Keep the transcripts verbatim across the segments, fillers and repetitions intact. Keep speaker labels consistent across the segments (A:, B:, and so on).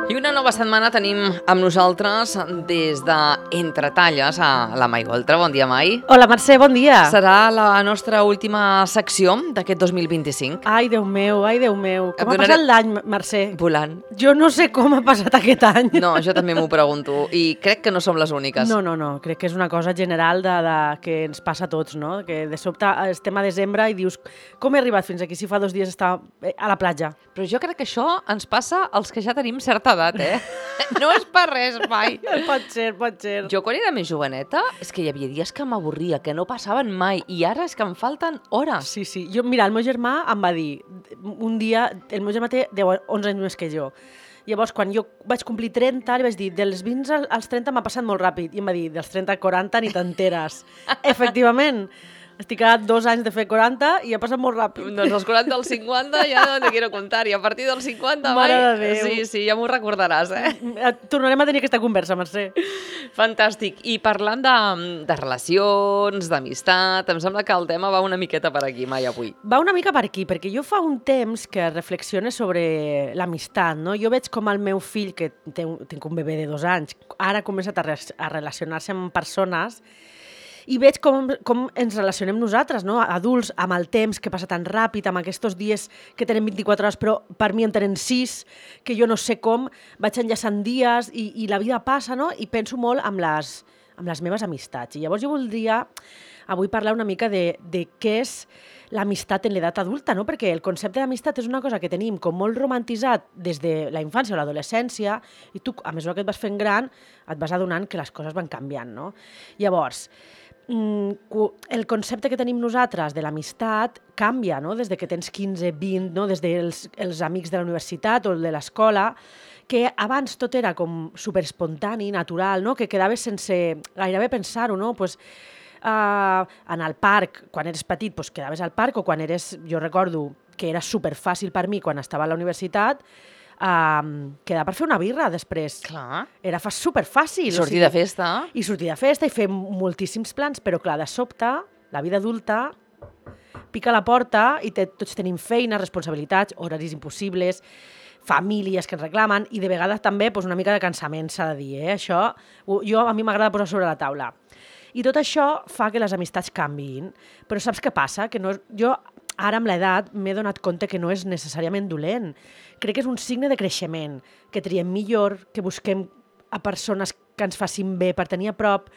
A: I una nova setmana tenim amb nosaltres des de Entre Talles a la Mai Goltra. Bon dia, Mai.
B: Hola, Mercè, bon dia.
A: Serà la nostra última secció d'aquest dos mil vint-i-cinc.
B: Ai, Déu meu, ai, Déu meu. Com
A: Et
B: ha
A: donaré-
B: passat l'any, Mercè?
A: Volant.
B: Jo no sé com ha passat aquest any.
A: No, jo també m'ho pregunto i crec que no som les úniques.
B: No, no, no, crec que és una cosa general de, de, que ens passa a tots, no? Que de sobte estem a desembre i dius com he arribat fins aquí si fa dos dies estava a la platja?
A: Però jo crec que això ens passa als que ja tenim certa edat, eh? No és per res, mai.
B: Pot ser, pot ser.
A: Jo quan era més joveneta és que hi havia dies que m'avorria, que no passaven mai, i ara és que em falten hores.
B: Sí, sí. Jo, mira, el meu germà em va dir, un dia, el meu germà té deu, onze anys més que jo, llavors, quan jo vaig complir trenta, li vaig dir, dels vint als trenta m'ha passat molt ràpid. I em va dir, dels trenta a quaranta ni t'enteres. Efectivament, estic a dos anys de fer quaranta i ha passat molt ràpid.
A: Doncs als quaranta als cinquanta ja no te quiero contar, i a partir dels cinquanta,
B: Mare
A: Mai,
B: de Déu.
A: sí, sí, ja m'ho recordaràs, eh?
B: Tornarem a tenir aquesta conversa, Mercè.
A: Fantàstic. I parlant de, de relacions, d'amistat, em sembla que el tema va una miqueta per aquí, Mai, avui.
B: Va una mica per aquí, perquè jo fa un temps que reflexiono sobre l'amistat, no? Jo veig com el meu fill, que té un, tinc un bebè de dos anys, ara ha començat a, res, a relacionar-se amb persones i veig com, com ens relacionem nosaltres, no? Adults, amb el temps que passa tan ràpid, amb aquests dies que tenen vint-i-quatre hores, però per mi en tenen sis, que jo no sé com, vaig enllaçant dies i, i la vida passa, no? I penso molt amb les, amb les meves amistats. I llavors jo voldria avui parlar una mica de, de què és l'amistat en l'edat adulta, no? Perquè el concepte d'amistat és una cosa que tenim com molt romantitzat des de la infància o l'adolescència i tu, a mesura que et vas fent gran, et vas adonant que les coses van canviant, no? Llavors, el concepte que tenim nosaltres de l'amistat canvia, no? Des de que tens quinze, vint, no? Des dels els amics de la universitat o de l'escola, que abans tot era com superespontani, natural, no? Que quedaves sense gairebé pensar-ho, no? Pues, uh, en el parc, quan eres petit, pues, quedaves al parc, o quan eres, jo recordo que era superfàcil per mi quan estava a la universitat, Uh, quedar per fer una birra després.
A: Clar.
B: Era fa superfàcil.
A: I sortir de festa.
B: I sortir de festa i fer moltíssims plans, però clar, de sobte, la vida adulta pica a la porta i te, tots tenim feina, responsabilitats, horaris impossibles, famílies que ens reclamen i de vegades també pues, una mica de cansament, s'ha de dir. Eh? Això jo, a mi m'agrada posar sobre la taula. I tot això fa que les amistats canviïn. Però saps què passa? Que no, jo ara amb l'edat m'he donat compte que no és necessàriament dolent. Crec que és un signe de creixement, que triem millor, que busquem a persones que ens facin bé per tenir a prop,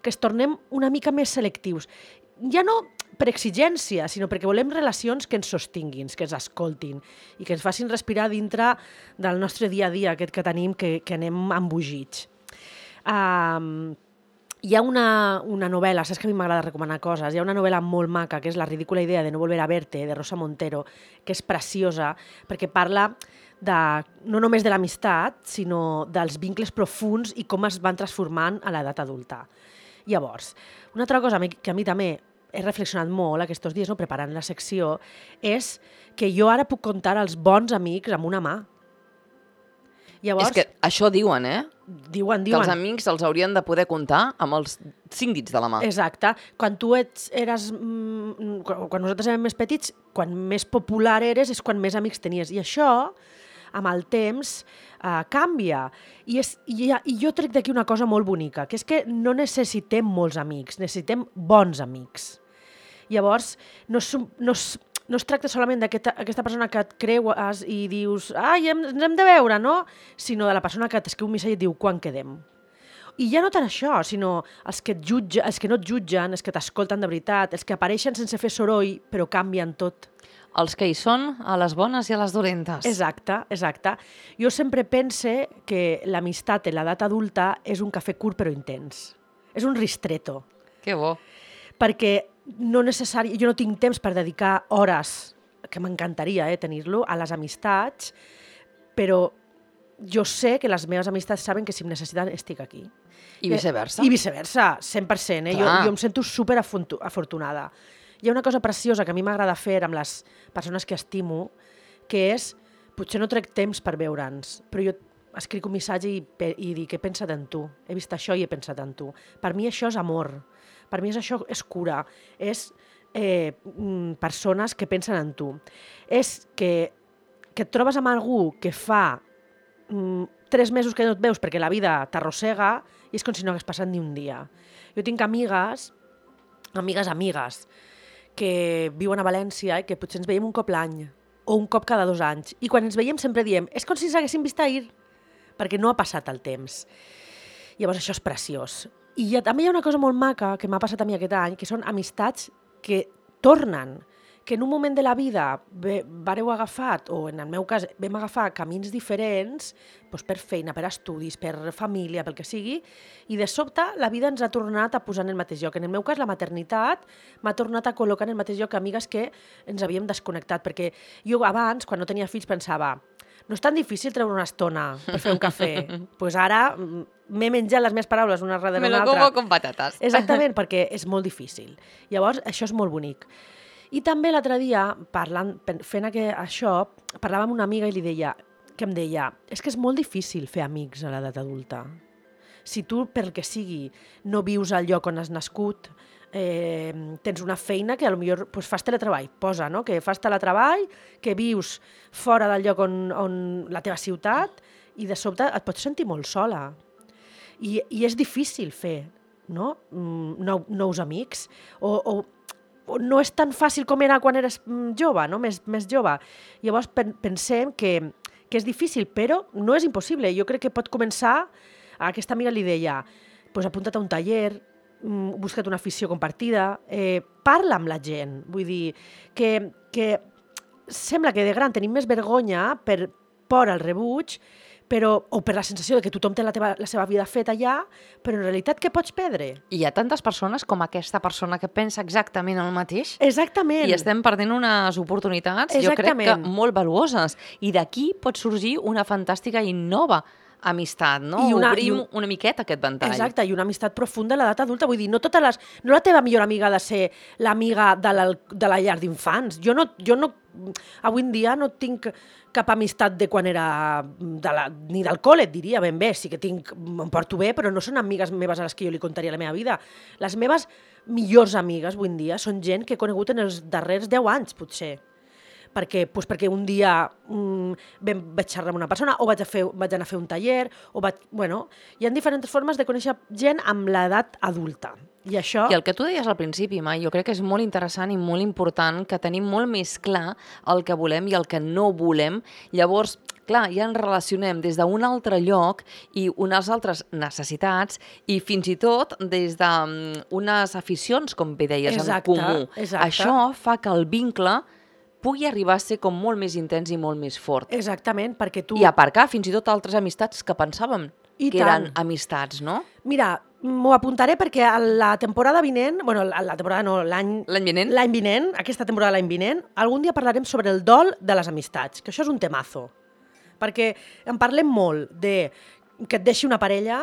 B: que es tornem una mica més selectius. Ja no per exigència, sinó perquè volem relacions que ens sostinguin, que ens escoltin i que ens facin respirar dintre del nostre dia a dia, aquest que tenim, que, que anem embogits. Um, Hi ha una, una novel·la, saps que a mi m'agrada recomanar coses, hi ha una novel·la molt maca, que és La ridícula idea de no volver a verte, de Rosa Montero, que és preciosa, perquè parla de, no només de l'amistat, sinó dels vincles profuns i com es van transformant a l'edat adulta. Llavors, una altra cosa que a mi també he reflexionat molt aquests dies, no, preparant la secció, és que jo ara puc comptar els bons amics amb una mà. Llavors,
A: és que això diuen, eh?
B: Diuen, diuen.
A: Que els amics els haurien de poder comptar amb els cinc dits de la mà.
B: Exacte. Quan tu ets, eres... Mm, quan nosaltres érem més petits, quan més popular eres és quan més amics tenies. I això, amb el temps, eh, canvia. I, és, i, I jo trec d'aquí una cosa molt bonica, que és que no necessitem molts amics, necessitem bons amics. Llavors, no, no, no es tracta solament d'aquesta persona que et creues i dius ai, ens hem de veure, no? Sinó de la persona que t'escriu un missatge i et diu quan quedem. I ja no tant això, sinó els que, et jutge, els que no et jutgen, els que t'escolten de veritat, els que apareixen sense fer soroll però canvien tot.
A: Els que hi són a les bones i a les dolentes.
B: Exacte, exacte. Jo sempre pense que l'amistat en l'edat adulta és un cafè curt però intens. És un ristretto.
A: Que bo.
B: Perquè no necessari... jo no tinc temps per dedicar hores, que m'encantaria eh, tenir-lo, a les amistats, però jo sé que les meves amistats saben que si em necessiten estic aquí.
A: I viceversa.
B: I viceversa, cent per cent. Eh? Jo, jo em sento super afortunada. Hi ha una cosa preciosa que a mi m'agrada fer amb les persones que estimo, que és, potser no trec temps per veure'ns, però jo escric un missatge i, i dic, he pensat en tu, he vist això i he pensat en tu. Per mi això és amor, per mi és això és cura, és eh, persones que pensen en tu. És que, que et trobes amb algú que fa mm, tres mesos que no et veus perquè la vida t'arrossega i és com si no hagués passat ni un dia. Jo tinc amigues, amigues, amigues, que viuen a València i que potser ens veiem un cop l'any o un cop cada dos anys. I quan ens veiem sempre diem, és com si ens haguéssim vist ahir, perquè no ha passat el temps. Llavors això és preciós. I ha, també hi ha una cosa molt maca que m'ha passat a mi aquest any, que són amistats que tornen, que en un moment de la vida ve, vareu agafat, o en el meu cas vam agafar camins diferents, doncs per feina, per estudis, per família, pel que sigui, i de sobte la vida ens ha tornat a posar en el mateix lloc. En el meu cas, la maternitat m'ha tornat a col·locar en el mateix lloc que amigues que ens havíem desconnectat, perquè jo abans, quan no tenia fills, pensava no és tan difícil treure una estona per fer un cafè. Doncs pues ara m'he menjat les meves paraules una darrere una altra.
A: Me lo como con patates.
B: Exactament, perquè és molt difícil. Llavors, això és molt bonic. I també l'altre dia, parlant, fent aquest, això, parlava amb una amiga i li deia, que em deia, és que és molt difícil fer amics a l'edat adulta. Si tu, pel que sigui, no vius al lloc on has nascut, eh, tens una feina que potser pues, fas teletreball, posa, no? Que fas teletreball, que vius fora del lloc on, on la teva ciutat i de sobte et pots sentir molt sola. I, i és difícil fer, no? Nou, nous amics. O, o, o no és tan fàcil com era quan eres jove, no? Més, més jove. Llavors pensem que, que és difícil, però no és impossible. Jo crec que pot començar, a aquesta amiga li deia, pues apunta't a un taller, busca't una afició compartida, eh, parla amb la gent. Vull dir que, que sembla que de gran tenim més vergonya per por al rebuig, però, o per la sensació de que tothom té la, teva, la seva vida feta allà, però en realitat què pots perdre?
A: Hi ha tantes persones com aquesta persona que pensa exactament el mateix.
B: Exactament.
A: I estem perdent unes oportunitats,
B: Exactament.
A: jo crec que molt valuoses. I d'aquí pot sorgir una fantàstica i nova amistat, no? I una, Obrim i un... una miqueta aquest ventall.
B: Exacte, i una amistat profunda a l'edat adulta. Vull dir, no totes les... No la teva millor amiga ha de ser l'amiga de la, de la llar d'infants. Jo no, jo no... Avui en dia no tinc cap amistat de quan era... De la, ni del col·le, et diria ben bé. Sí que tinc... Em porto bé, però no són amigues meves a les que jo li contaria la meva vida. Les meves millors amigues, avui en dia, són gent que he conegut en els darrers deu anys, potser. Perquè, doncs perquè un dia mm, vaig xerrar amb una persona o vaig, a fer, vaig anar a fer un taller o vaig, bueno, hi ha diferents formes de conèixer gent amb l'edat adulta. I això...
A: I el que tu deies al principi, Mai, jo crec que és molt interessant i molt important que tenim molt més clar el que volem i el que no volem. Llavors, clar, ja ens relacionem des d'un altre lloc i unes altres necessitats i fins i tot des d'unes aficions, com bé deies,
B: exacte,
A: en comú.
B: Exacte.
A: Això fa que el vincle pugui arribar a ser com molt més intens i molt més fort.
B: Exactament, perquè tu...
A: I aparcar fins i tot altres amistats que pensàvem
B: I
A: que
B: tant.
A: eren amistats, no?
B: Mira, m'ho apuntaré perquè a la temporada vinent, bueno, a la temporada no, l'any...
A: L'any vinent?
B: L'any vinent, aquesta temporada l'any vinent, algun dia parlarem sobre el dol de les amistats, que això és un temazo. Perquè en parlem molt de que et deixi una parella,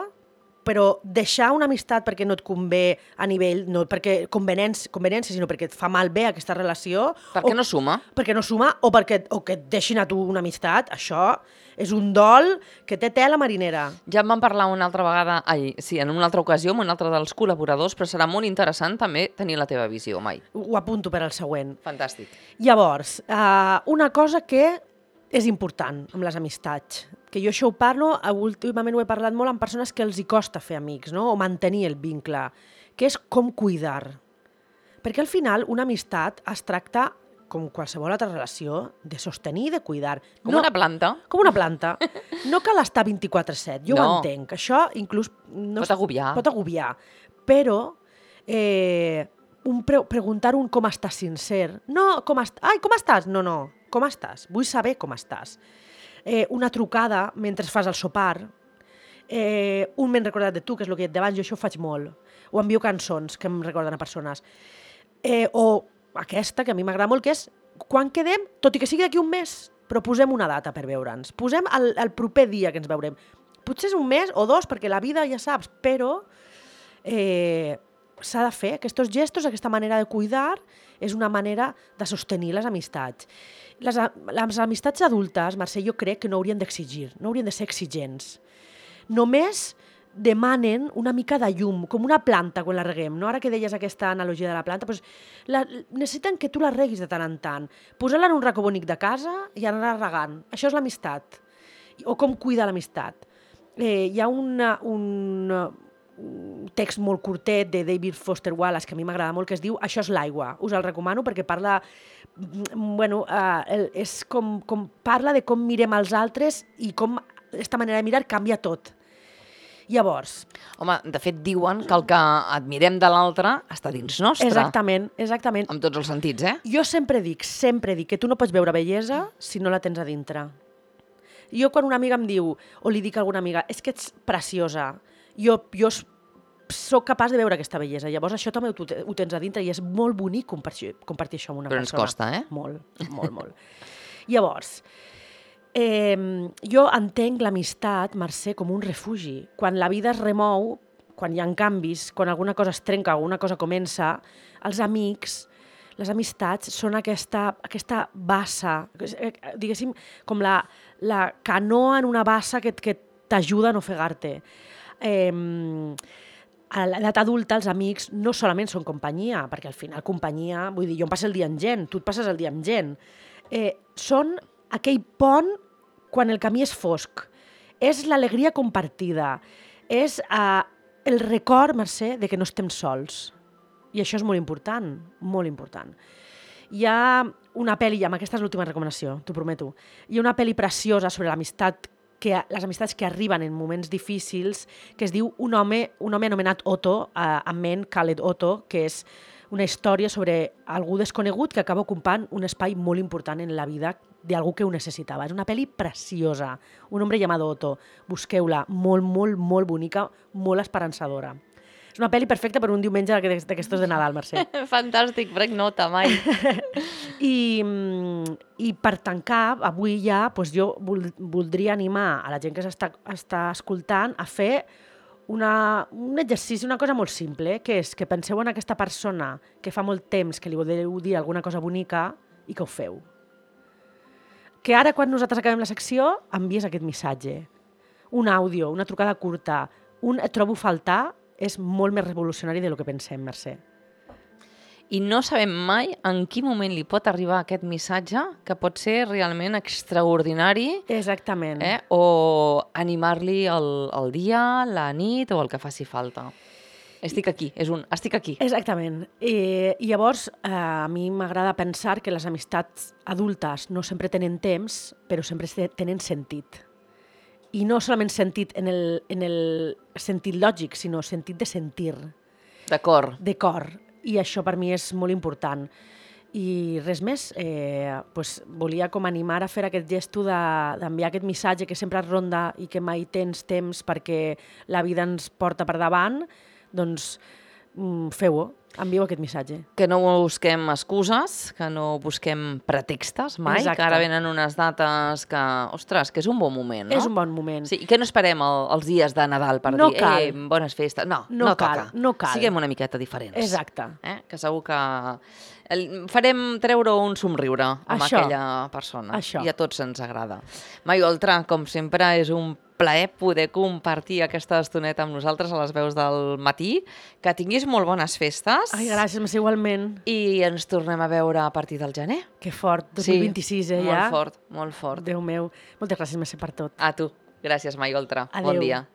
B: però deixar una amistat perquè no et convé a nivell, no perquè conveniència, conveniència, sinó perquè et fa mal bé aquesta relació.
A: Perquè
B: o,
A: no suma.
B: Perquè no suma, o perquè o que et deixin a tu una amistat, això és un dol que té tela marinera.
A: Ja en vam parlar una altra vegada, ai, sí, en una altra ocasió, amb un altre dels col·laboradors, però serà molt interessant també tenir la teva visió, Mai.
B: Ho apunto per al següent.
A: Fantàstic.
B: Llavors, uh, una cosa que és important amb les amistats, que jo això ho parlo, últimament ho he parlat molt amb persones que els hi costa fer amics, no? O mantenir el vincle, que és com cuidar. Perquè al final una amistat es tracta, com qualsevol altra relació, de sostenir i de cuidar.
A: Com no, una planta.
B: Com una planta. No cal estar vint-i-quatre set, jo
A: no.
B: ho entenc. Això inclús... No
A: pot agobiar.
B: Pot agobiar. Però eh, un pre preguntar un com estàs sincer. No, com est ai, com estàs? No, no. Com estàs? Vull saber com estàs. Eh, una trucada mentre fas el sopar, eh, un m'he recordat de tu, que és el que et deia abans, jo això ho faig molt, o envio cançons que em recorden a persones, eh, o aquesta, que a mi m'agrada molt, que és quan quedem, tot i que sigui d'aquí un mes, però posem una data per veure'ns, posem el, el proper dia que ens veurem. Potser és un mes o dos, perquè la vida ja saps, però eh, s'ha de fer aquests gestos, aquesta manera de cuidar, és una manera de sostenir les amistats. Les, les amistats adultes, Mercè, jo crec que no haurien d'exigir, no haurien de ser exigents. Només demanen una mica de llum, com una planta quan la reguem, no? Ara que deies aquesta analogia de la planta, doncs la, necessiten que tu la reguis de tant en tant. Posar-la en un racó bonic de casa i anar regant. Això és l'amistat. o com cuida l'amistat. Eh, hi ha una, un, un text molt curtet de David Foster Wallace que a mi m'agrada molt, que es diu Això és l'aigua. Us el recomano perquè parla, bueno, eh, és com, com parla de com mirem els altres i com aquesta manera de mirar canvia tot. Llavors...
A: Home, de fet, diuen que el que admirem de l'altre està dins nostre.
B: Exactament, exactament.
A: En tots els sentits, eh?
B: Jo sempre dic, sempre dic que tu no pots veure bellesa si no la tens a dintre. Jo quan una amiga em diu, o li dic a alguna amiga, és que ets preciosa, jo, jo sóc capaç de veure aquesta bellesa. Llavors això també ho, ho tens a dintre i és molt bonic compartir, compartir això amb una
A: Però
B: persona.
A: ens costa, eh?
B: Molt, molt, molt. Llavors... Eh, jo entenc l'amistat, Mercè, com un refugi. Quan la vida es remou, quan hi ha canvis, quan alguna cosa es trenca, alguna cosa comença, els amics, les amistats són aquesta, aquesta bassa, diguéssim, com la, la canoa en una bassa que, que t'ajuda a no ofegar-te. Eh, a l'edat adulta els amics no solament són companyia, perquè al final companyia, vull dir, jo em passo el dia amb gent, tu et passes el dia amb gent. Eh, són aquell pont quan el camí és fosc. És l'alegria compartida. És uh, el record, Mercè, de que no estem sols. I això és molt important, molt important. Hi ha una pel·li, amb aquesta és l'última recomanació, t'ho prometo, hi ha una pel·li preciosa sobre l'amistat, que, les amistats que arriben en moments difícils, que es diu Un home, un home anomenat Otto, uh, amb ment Khaled Otto, que és una història sobre algú desconegut que acaba ocupant un espai molt important en la vida d'algú que ho necessitava. És una pel·li preciosa, Un hombre llamado Otto. Busqueu-la, molt, molt, molt bonica, molt esperançadora. És una pel·li perfecta per un diumenge d'aquestos de Nadal, Mercè.
A: Fantàstic, prenc nota, mai.
B: I, I per tancar, avui ja, doncs jo voldria animar a la gent que s'està està escoltant a fer una, un exercici, una cosa molt simple, que és que penseu en aquesta persona que fa molt temps que li voleu dir alguna cosa bonica i que ho feu. Que ara, quan nosaltres acabem la secció, envies aquest missatge. Un àudio, una trucada curta, un et trobo faltar, és molt més revolucionari del que pensem, Mercè.
A: I no sabem mai en quin moment li pot arribar aquest missatge, que pot ser realment extraordinari.
B: Exactament.
A: Eh? O animar-li el, el dia, la nit o el que faci falta. Estic aquí, és un estic aquí.
B: Exactament. I, i llavors, eh, a mi m'agrada pensar que les amistats adultes no sempre tenen temps, però sempre tenen sentit. I no solament sentit en el, en el sentit lògic, sinó sentit de sentir.
A: De cor.
B: De cor. I això per mi és molt important. I res més, eh, pues, volia com animar a fer aquest gesto d'enviar aquest missatge que sempre es ronda i que mai tens temps perquè la vida ens porta per davant, doncs mm, feu-ho, envieu aquest missatge.
A: Que no busquem excuses, que no busquem pretextes mai,
B: Exacte.
A: Que ara venen unes dates que, ostres, que és un bon moment, no?
B: És un bon moment.
A: Sí, i que no esperem el, els dies de Nadal per
B: no
A: dir,
B: cal.
A: eh, bones festes. No,
B: no,
A: no
B: cal,
A: toca.
B: No cal.
A: Siguem una miqueta diferents.
B: Exacte.
A: Eh? Que segur que el, farem treure un somriure amb
B: Això.
A: aquella persona.
B: Això.
A: I a tots ens agrada. Mai Oltra, com sempre, és un plaer poder compartir aquesta estoneta amb nosaltres a les veus del matí. Que tinguis molt bones festes.
B: Ai, gràcies, Mercè, igualment.
A: I ens tornem a veure a partir del gener.
B: Que fort, dos mil vint-i-sis, eh,
A: molt
B: ja?
A: fort, molt fort.
B: Déu meu. Moltes gràcies, Mercè, per tot.
A: A tu. Gràcies, Mai Oltra.
B: Adéu.
A: Bon dia.